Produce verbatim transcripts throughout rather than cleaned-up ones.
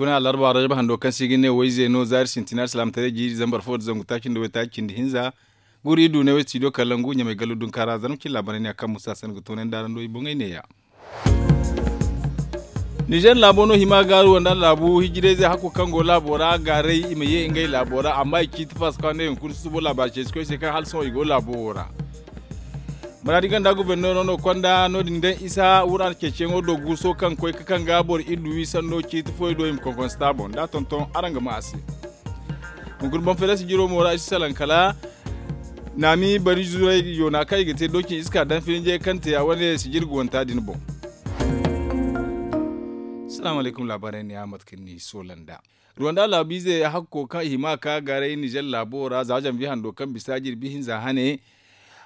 Kuna alarba rajab hando kaŋ se i ga ne wayze no zaari sintina alsilaamataray jiiri zambar fo nda zangu taaci nda waytaaci cindi hinza. Guuru iri du ne way studio kalangu ɲamay gallu dunkaara zarma cine laabaray ne a kaŋ musa sanda ga toonandi araŋ do i boŋey neeya. Nizer laabo no hima gaaru wanda laabu hijirayzey hakko kaŋ go laabo ra gaaray i ma ye ngey laabo ra amma i ciiti faasa kaŋ ne hunkuna susubo laabaari ceeci koy se kaŋ hala sohõ i go laabo wo ra. Maraadi ganda goborneero no konda no- din daŋ isa wura ceeciyaŋo do guuso kaŋ koy ga kaŋ ga boro iddu wi sanno ciiti foy do i ma konkonsta boŋ da a tonton araŋ ga ma a se. Hunkuna boŋ feere sijiro mo ra i si salaŋ kala naami bari zuray yoona kaŋ i ga te doocin iska daŋ filinjey kaŋ te ya wane sijiri guwanta din boŋ. Salaamu alaykum laabaarey ne ya mate kaŋ ni soola nda ruwanda laabiize hakko kaŋ i hima ka gaaray nizer laabo ra za zanviye hando kaŋ bisa jirbi hinza hane.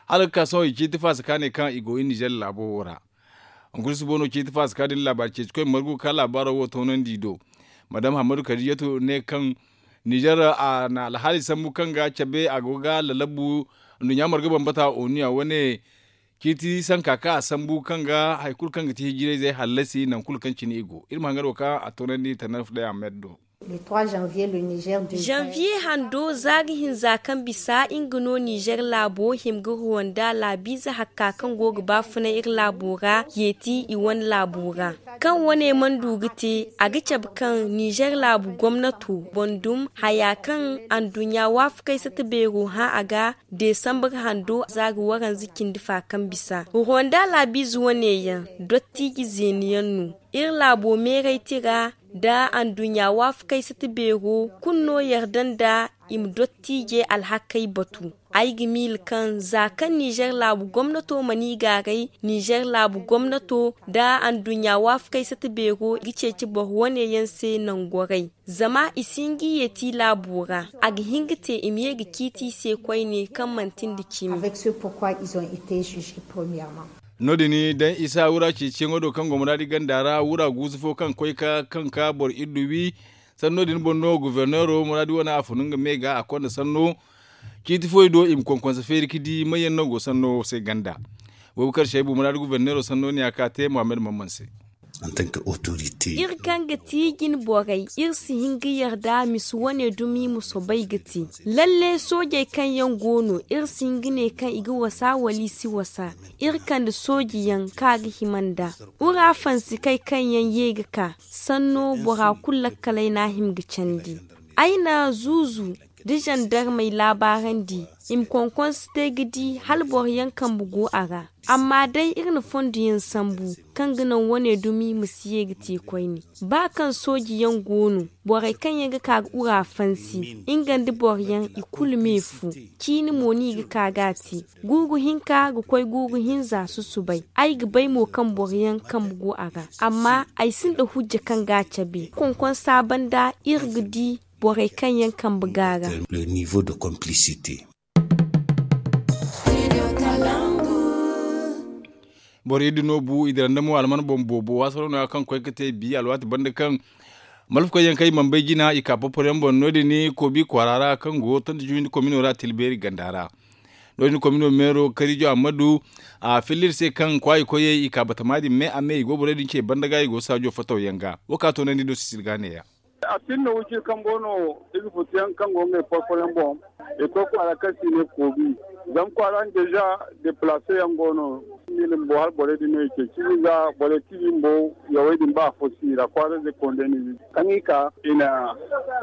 Hala ga ka sohõ i ciiti faasa ka ne kaŋ i go i nizer laabo wo ra. Hunkuna susubo no ciiti faasa ka din laabaari ceeci koy margu ga ka laabaaro wo toonandi i do. Madam hammadu kadijatu ne kaŋ nizer a na alhaali sambu kaŋ ga cabe a go ga lalabu nduɲɲa marga bambata onu ya wane ciiti sanka kaŋ a sambu kaŋ ga hari kulu kaŋ ga ti hijirayzey hallasi nangu kulu kaŋ cine i go iri ma hangar wo kaŋ a toonandi tanarfu day ahmed do. Janvier hando za ga hinza kaŋ bisa nga no nizer laabo hima ga ruwanda laabiize hakka kaŋ go ga baafunay iri laabo ra yeeti i wane laabo ra. Kaŋ wane mana du ga te a ga cabe kaŋ nizer laabu gomnato boŋ dum haya kaŋ anduɲɲa waafakey sata beero hã a ga desambar hando za ga waranza cindi fa kaŋ bisa ruwanda laabiize wane yaŋ dottiiji zeeni yaŋ no. Iri laabo meeray tira nda anduɲɲa waafakey sata beero kulu no yarda nda i ma dottiijey alhakey batu. Ay ga miila kaŋ za kaŋ nizer laabu gomnato mana i gaaray nizer laabu gomnato nda anduɲɲa waafakey sata beero ga ceeci boro wane yaŋ se nangu gwaray. Zama i si hin ga i yeeti laabo ra a ga hin ga te i ma ye ga ciiti i se koyne kaŋ manti nda cimi. No- din daŋ isa wura ceeciyaŋo do kaŋ go muraadi ganda ra wura guusu fo kaŋ koy ka kaŋ ka boro iddu wi. Sanno din boŋ no goborneero muraadi wane a funu nga me ga a konda sanno ciiti foy do i ma konkonse feeri ga di may yaŋ no go sanno se ganda. Boobo kar shaybu muraadi goborneero sanno ne a ka te muhammad mamman se. Iri kaŋ ga ti jine borey iri si hin ga yarda misi wane dumi ma soobay ga te. Lalle soojey kaŋ yaŋ go no iri si hin ga ne kaŋ i ga wasa wala i si wasa. Iri kande soojeyaŋ kaŋ a ga hima nd'a. Wura fansikey kaŋ yaŋ ye ga ka sanno bora kulu lakkaley no a hima ga candi. Ay na zuuzu da zandarmey laabaarandi i ma konkonse te ga di hala boro yaŋ kambe go a ra. Amma day iri na fondo yaŋ sambu kaŋ ga naŋ wane dumi ma si ye ga te koyne. Ba kaŋ sooji yaŋ go no borey kaŋ yaŋ ga ka ga wura fansi nga nda boro yaŋ i kulu me fu. Ciini mo no i ga ka ga a te guuru hinka ga koy guuru hinza susubay. Ay ga bay mo kaŋ boro yaŋ kambe go a ra amma ay sinda hujja kaŋ ga a cabe konkonsa banda iri ga di borey kaŋ yaŋ kambe go a ra. Boro iddu no bu i dira nda mo alman boŋ boobo waasaro no- ya kaŋ koy ga te bi alwaati banda kaŋ malfa koy yaŋ kaŋ i mana bay jina i ka porporo yaŋ boŋ no- din koobi kwaara ra kaŋ go tonti juwindi komino ra tilbeeri ganda ra. No- din komino meero karijo ammadu a filla iri se kaŋ kwaayi koyey i ka batama din me a me i go borey din ce banda ga i go saajo fataw yaŋ ga wo ka toonandi no sisiri ga neeya. A sinda wiciri kambo no i ga futu yaŋ kaŋ go ngey porporo yaŋ boŋ. I koy kwaara kaŋ se i ne koobi zama kwaara din deeza deplaase yaŋ go no. Miila bumbo hala borey din no i ceeci i ga borey tiibi bumbo yawey din ba afo si i ra kwaara zey konda yaŋ no i ga kaŋ i ka i na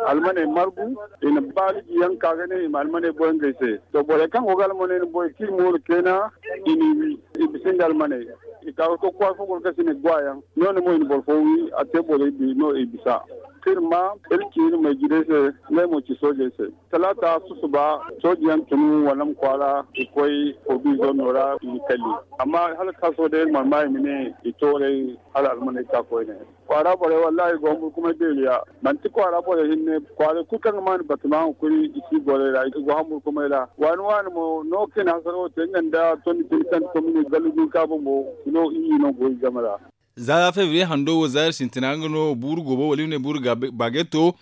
almaney margu. I na baaliji yaŋ ka ga ne i ma almaney boy ngey se. To borey kaŋ go ga almaney na boy kaŋ i mooru keena i n'i wi. I bisa nda almaney i ka ga to kwaara fo goro kaŋ se i ne gwaayaŋ. No- din mo i na boro fo wi a te borey bi no i bisa. Kaŋ iri ma iri ci iri mayjirey se ngey mo ci soojey se. Talaata susuba sooji yaŋ tun wala ma kwaara i koy koobi zonno ra i na kalli. Amma hala ka sohõ day iri mana ma i ma ne i tooray hala almaney ka koyne. Kwaara borey wallahi i go hamburkumay beeri ya manti kwaara borey hinne. Kwaaray kulu kaŋ ga maanu batama hunkuri i si borey ra i go hamburkumay ra waani waani mo no kaŋ i na hasara wo te nga nda tondi tun kaŋ komine gallu din ka bumbo no i no go i game ra. Za febriye hando wo za iri sintina nga no buuru goobo wala iri ne buuru baageto.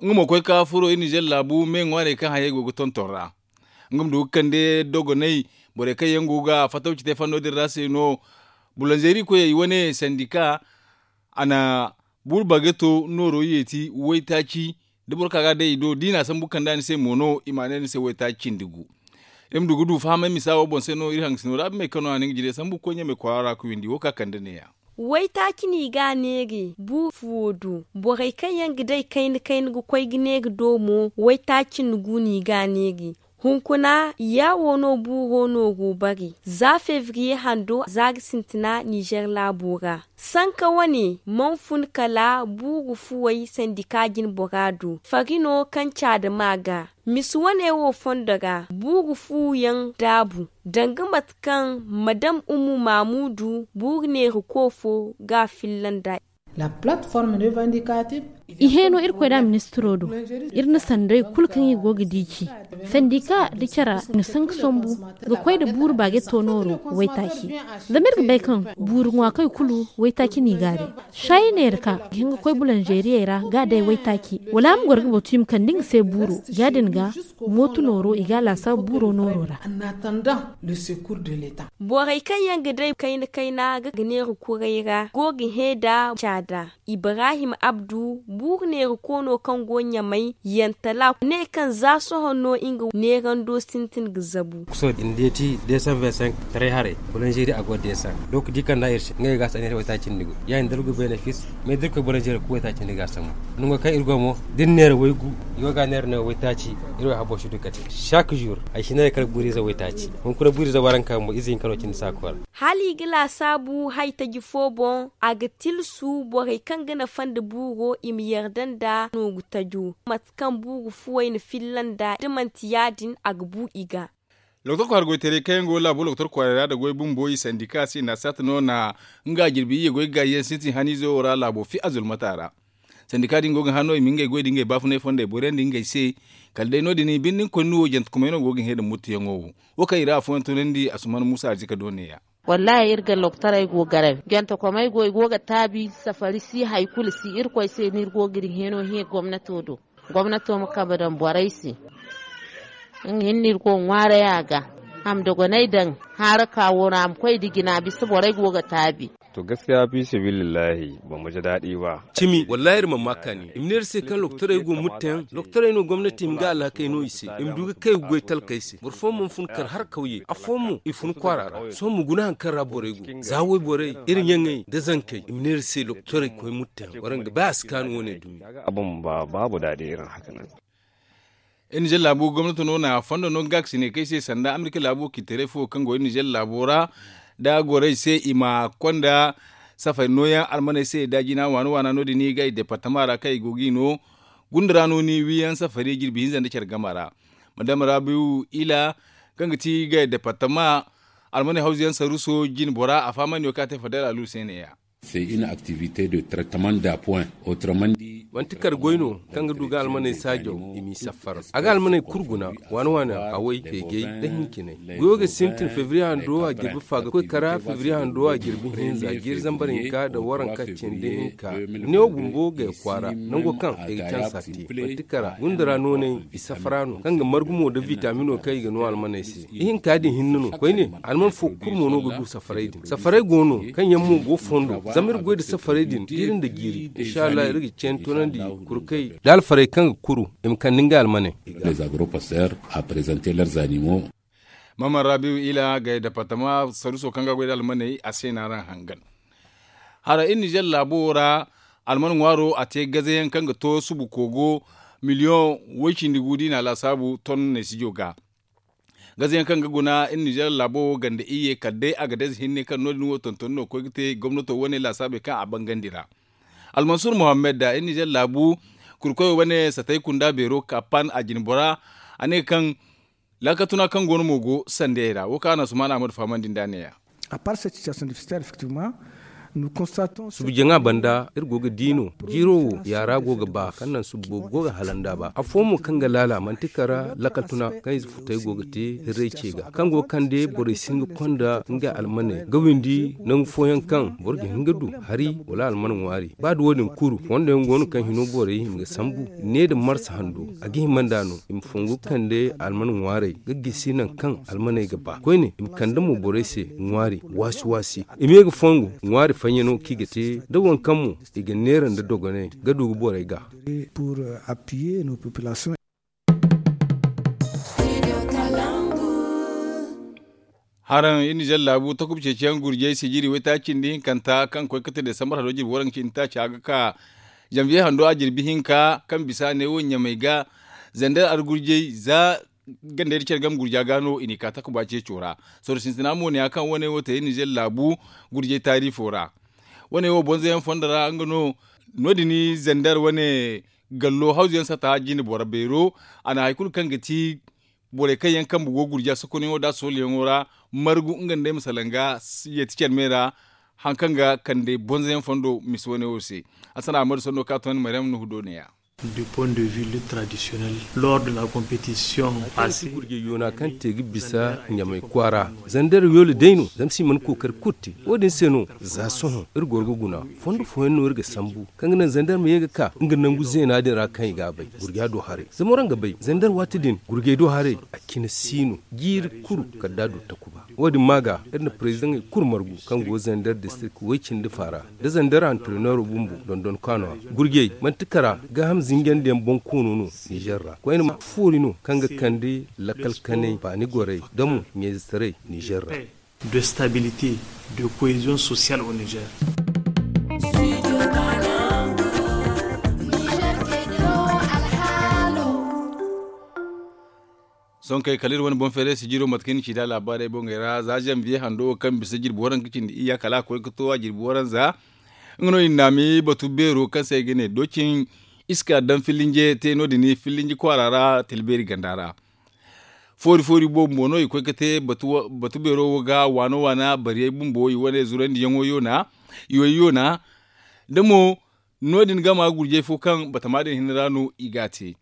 Nga mo koy ka furo iri nizer laabu me ŋwaarey kaŋ hayey go ga tonton ra. Nga ma du ga kande dogonay borey kaŋ yaŋ go ga fatawci te fanno din ra se no. Bulanzeeri koyey wane sandika a na Buuru bageto nooro yeeti waytaaci da boro ka ga a day i do da i na a sambu kand'a ni se mo no i ma a ne ni se waytaaci cindi gu. Iri ma du ga du fahamay misa wo boŋ se no iri hangasino ra abimey kaŋ no a na nga jire sambu ga koy ɲamey kwaara ra ga windi wo ka kande neeya. Waytaaci no i ga a neeri buuru fuwo do. Borey kaŋ yaŋ ga day kayna kayna ga koy ga neeri do mo waytaaci nda gu no i ga a neeri. Hunkuna yaawo no buuro nooro bare za febriye hando za ga sintina nizer laabo ra. Sanka wane mana fun kala buuru fuwey sandika jinbora do fari no kaŋ caada ma ga. Misi wane wo fondo ra buuru fuwo yaŋ daabu danga mate kaŋ madam ummu maamudu buuru neeriko fo ga a filla nd'a. I heeno irkoy da ministiro do. Iri na sanday kulu kaŋ i go ga di ci sandika da cara i na sanka sombu ga koy nda buuru baageto nooro waytaaci. Zama iri ga bay kaŋ buuru ŋwa kay kulu waytaaci no i ga a day. Saayi neera ka ga hin ga koy bulanzeeriyey ra ga a day waytaaci wala a ma goro ga batu i ma kande nga se buuro ya- din ga mooto nooro i ga a laasaabu buuro nooro ra. Borey kaŋ yaŋ ga day kayna kayna ga neera kuray ra go ga hẽ nda caada. Ibrahim abdu buuru neera koono kaŋ go ɲamay yantala ne kaŋ za sohõ no nga neerando sintin ga zabu. Kuso din da ya ti deesan vingt cinq taray haray bulanzeeri a go deesan. Lokaci kaŋ da iri se ngey ga a si a neera waytaaci cindi go ya- din da iri ga benefis. Mais da iri koy bulanzeeri ga koy waytaaci cindi ga a sambu nango kaŋ iri go mo da iri neera waygu i go ga a neera no waytaaci. Iri way habo si du kate chaque jour ay si neera kala buuriize waytaaci. Hunkuna buuriize waranka bumbo ize hinka no cindi saako ra. Hala i ga laasaabu haytaji fo boŋ a ga tilsu borey kaŋ ga nafa nda buuro i ma yarda nda nooru tajo mate kaŋ buuru fuwey na filla nda da manti ya- din a ga bu i ga. Lokotor kwaara goytaray kaŋ yaŋ go laabo lokotor kwaaray ra nda goy bumbo i sandika se i na a saata no na nga jirbi iyye goy ga gaayi yaŋ sintin haniizo wo ra laabo fi azulmata ra. Sandika din go ga hã no i ma ngey goy nda ngey baafunay fondey boriyandi ngey se. Kala day no- din binde nga koyne no wo jantekumay no go ga hẽ nda muttuyaŋo wo. Wo kaŋ i ra afooyaŋ tunandi asuman muusa arzika do neeya. Wallaahi iri ga loktaray go garaw jantekumay go i go ga taabi safari si hari kulu si irkoy se no iri go ga iri hẽeno hẽ gomnato do. Gomnato ma kambe daŋ borey se. Nga hinne iri go ga ŋwaaray a ga a ma dogonay daŋ haara ka wo no a ma koy nda jina bisa borey go ga taabi. To gaskiya fi sabilillahi ba mu ji daɗi ba. Cimi wallaahi iri mana ma kaani i ma ne iri se kaŋ lokotorey go mutteyaŋ lokotorey no gomnati i ma nga alhakey no i se i ma du ga kay ga goy talkey se boro fooyaŋ mana fun kar har kawye afooyaŋ mo i fun kwaara ra sohõ ma guna hari kaŋ ra borey go za wayborey iri ɲaŋey nda zankey i ma ne iri se lokotorey koy mutteyaŋ waraŋ ga bay a si kaanu wane dumi. Abin ba babu daɗi irin haka nan. Iri nizer laabo gomnato no na fondo no ga ga si ne kay se sanda amerika laabo kiitaray fo kaŋ go iri nizer laabo ra da gorey se i ma konda safari nooyaŋ almaney se da jina waana waana no- din i ga i departama ra kaŋ i go ga i no gunda ra no ni wiyaŋ safari jirbi hinza nda care game ra. Madama rabiu ila kaŋ ga ti ga i departama almaney hawzuyaŋ saruso jine bora a fahamandi no kaŋ a te fadal alu se neeya. C'est une activité de traitement d'appoint autrement dit. Manti kar goy no kaŋ ga du ga almaney saajaw i m'i saffar a ga almaney kulu guna waani waani haway feejay nda hincinay. Goyo ga sintin febriye hando a jirbi fa ga koy kara febriye hando a jirbi hinza jiiri zambar hinka nda waranka cindi hinka. Neewo bumbo ga ya kwaara nango kaŋ ay ga cansa te manti kara gunda ra noonay i safara no kaŋ ga margu mo nda vitamino kaŋ i ga no almaney se. Ihinka din hinne no koyne alman fo kulu mo no ga du safaray din safaray go no kaŋ yaŋ mo go fondo zama iri goy nda safaray din jiiri nda jiiri inshallah iri ga ceen toonandi kurkey da alfarey kaŋ ga kuru i ma kande ngey almaney. Les agropasteurs à présenter leurs animaux. Maman rabiu ila gay departama saruso kaŋ ga goy nda almaney a se no araŋ hangan. Hara iri nizer laabo ra alman ŋwaaro a te gazayaŋ kaŋ ga to subu koogo miliyoŋ woy cindi gu da i na a laasaabu ton neesijo ga. Gazayaŋ kaŋ ga guna iri nizer laabo wo ganda iyye kala day a ga day ize hinne kaŋ no- din wo tonton no ga koy ga te gomnato wane laasaabey kaŋ a bangandi ra. Almansur muhammad da iri nizer laabu kurkoyo wane satay kunda beero ka pan a jine bora a ne kaŋ laakatuna kaŋ go no mo go sandiyey ra wo kaŋ a na sumaana ahmadu fahamandi nd'a neeya. Subu jaŋa banda iri go ga di no jiiro wo yaara go ga ba kaŋ naŋ subu boobo go ga hala nd'a ba afo mo kaŋ ga laala manti kara laakal tuna kaŋ ize futey go ga te hirray ce ga kaŋ go ga kande borey si hin ga konda ngey almaney ga windi nangu fooyaŋ kaŋ boro ga hin ga du hari wala alman ŋwaari ba da wo- din kuru fondo yaŋ go no kaŋ hino borey i ma ga sambu ne nda marsa hando a ga hima nd'a no i ma fongu ga kande alman ŋwaarey ga gisi naŋ kaŋ almaney ga ba koyne i ma kande mo borey se ŋwaari waasi waasi i ma ye ga fongu ŋwaari. Faɲɲa no kaŋ i ga te da waŋ kaŋ mo i ga neera nda dogonay ga du ga borey ga. Haraŋ iri na zalla laabu takuba ceeciyaŋ gurjey sijiri waytaaci cindi hinkanta kaŋ koy ga te desambar hado jirbi waranka cindi taaci a ga ka. Zanviye hando a jirbi hinka kaŋ bisa ne wo ɲamay ga zandar argurjey za gandey da care game gurja ga no i n'i ka takuba ceeco ra. Sorro sintina mo ne ya kaŋ wane wo te iri na zalla laabu gurjey taarifo ra. Wane wo bonzoyaŋ fondo ra nga no no- din zandar wane gallo hawzu yaŋ sata jine boro beero. A na hari kulu kaŋ ga ti borey kaŋ yaŋ kambe go gurja sokonayaŋo da soolayaŋo ra margu nga nda ay ma salaŋ ga yeeti care me ra. Hari kaŋ ga kande bonzoyaŋ fondo misa wane wo se. Asana amadu sanno kaŋ a toonandi maryam nuhu do ne- ya. Du point de vue lutte traditionnelle lors de la compétition passée. Gurjey yoona kaŋ te ga bisa ɲamay kwaara zandar yoole day no zama si mana kookari kulu te. Wo- din se no za sohõ iri goro ga guna fondo fooyaŋ no iri ga sambu kaŋ ga naŋ zandar ma ye ga ka nga nangu zeena din ra kaŋ i ga a bay gurja do haray zama waraŋ ga bay zandar waati din gurjey do haray a cine si no. Jiiri kulu kala da a du takuba. Wo- din ma ga iri na parezidaŋey kulu margu kaŋ go zandar distirik way- cindi fa ra nda zandar antareneero bumbo dondon kaano ra. Gurjey manti kara gaaham zinjandiyaŋ boŋ koono no nizer ra koyne ma foori no kaŋ ga kande lakkal kanay baani gorey da mo ɲayzetaray nizer ra. De stabilité, de cohésion sociale au nizer. Sohõ kay kala iri wane boŋ feeray sijiro mate kaŋ ni ci nd'a laabaarey boŋey ra za zanviye hando wo kaŋ bisa jirbi waranka cindi iyya kala a koy ga to a jirbi waranza. Nga no i na naami batu beero kaŋ se ay ga ne doocin iska daŋ fillinje te no- din fillinje kwaara ra tilbeeri ganda ra. Foori foori boobo mo no i koy ga te batu beero wo ga waano waana bariyey bumbo i wane zurandiyaŋo yoona. Iway yoona da mo no- din gama gurjey fo kaŋ batama din hinne ra no i ga a te.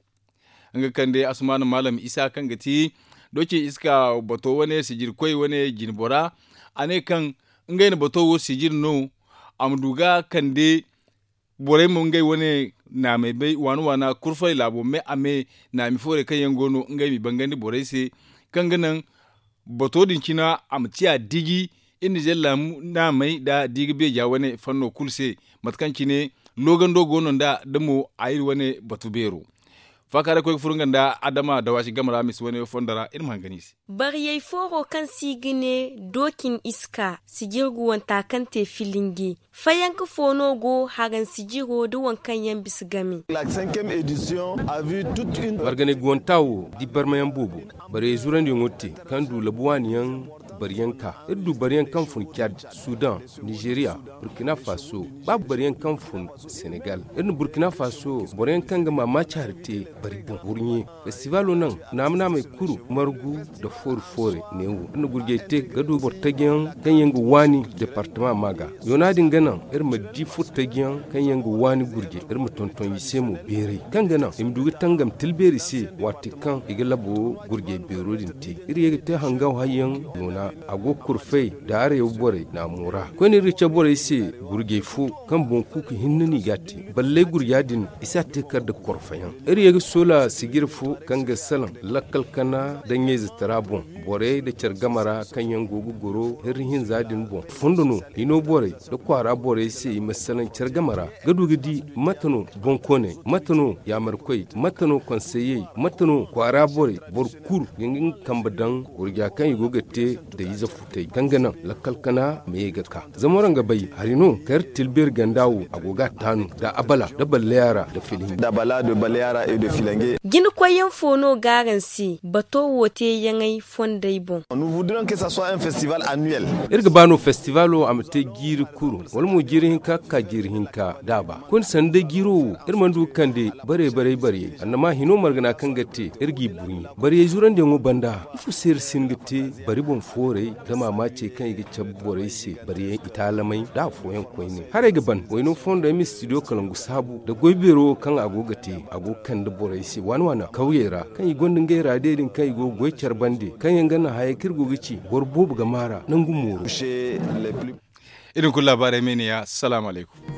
Nga kande asumaana maalam isa kaŋ ga ti doocin iska bato wane sijirkoy wane jinbora. A ne kaŋ ngey na bato wo sijiri no a ma du ga kande borey mo ngey wane naamey bay waana waana kurfarey laabo me a me naami foorey kaŋ yaŋ go no ngey m'i bangandi borey se kaŋ ga naŋ bato din cina a ma ciya diji. Iri na zella naamey da di ga beeja wane fanno kulu se mate kaŋ cine loogando go no nd'a da mo a iri wane batu beero. Faakaaray koy ga furo nga nda adama dawaasi game ra misa wane fondo ra iri ma hangan i se. Bariyey fooro kaŋ se i ga ne doocin iska sijirgu wanta kaŋ te filinge fayanka fo no go haran sijiro nda waŋ kaŋ yaŋ bisa game. Marganay guwanta wo di barmayaŋ boobo bariyey zurandiyaŋo te kaŋ du labu waani yaŋ bariyanka iri du bariyaŋ kaŋ fun cad sudan nizeriya burkina faso ba bariyaŋ kaŋ fun senegal iri na burkina faso boroyaŋ kaŋ ga maamaaci hari te bari boŋ wurɲe festivalo naŋ naama naamey kuru margu nda foori foore neewo iri na gurjey te ga du boro tajiyaŋ kaŋ yaŋ ga waani departama ma ga yoona din ga naŋ iri ma di furtajiyaŋ kaŋ yaŋ ga waani gurjey iri ma tonton i se mo beeray kaŋ ga naŋ i ma du ga tangam tilbeeri se waati kaŋ i ga labo gurjey beero din te iri ye ga te hangaw hayyaŋ yoona a go ga kurfay da arayo borey naamo ra koyne iri ga cabe borey se gurjey fo kaŋ boŋ kuuku hinne no i ga a te balley gurja din i si a te kar nda korfayaŋ iri ye ga soola sijir fo kaŋ ga salaŋ lakkal kana nda ɲayze tara boŋ borey nda care game ra kaŋ yaŋ go ga goro hirri hinza din boŋ fondo no hino borey nda kwaara borey se i ma salaŋ care game ra ga du ga di mate no boŋkooney mate no yaamarkoy mate no konseyey mate no kwaara borey boro kulu ga nga kambe daŋ gurja kaŋ i go ga te nda ize futay kaŋ ga naŋ lakkal kana ma ye ga ka zama waraŋ ga bay hari no kar tilbeeri ganda wo a go ga a taanu nda abala nda balleya ra nda filange. Jinakoyyaŋ fo no g'araŋ se bato wo teeyaŋey fondey boŋ. Iri ga ba no festivalo a ma te jiiri kuru wala mo jiiri hinka ga ka jiiri hinka da a ba koyne sanda day jiiro wo iri mana du ga kande bare barey bariyey annama hino margana kaŋ ga te iri g'i burɲi bariyey zurandiyaŋo banda ifo se iri si hin ga te bari boŋ fooray nda maamaacey kaŋ i ga cabe borey se bariyaŋ itaalamey nda afooyaŋ koyne haray ga ban wayno fondo ay ma studio kalangu saabu nda goy beero wo kaŋ a go ga te a go ga kande borey se waana waana kawyey ra kaŋ i gonda ngey raadiyo din kaŋ i go ga goy care bande kaŋ yaŋ ga naŋ hayey kaŋ iri go ga ci boro boobo ga maara nangu mooro. Iri din kulu laabaarey me ne ya salaamu alaykum.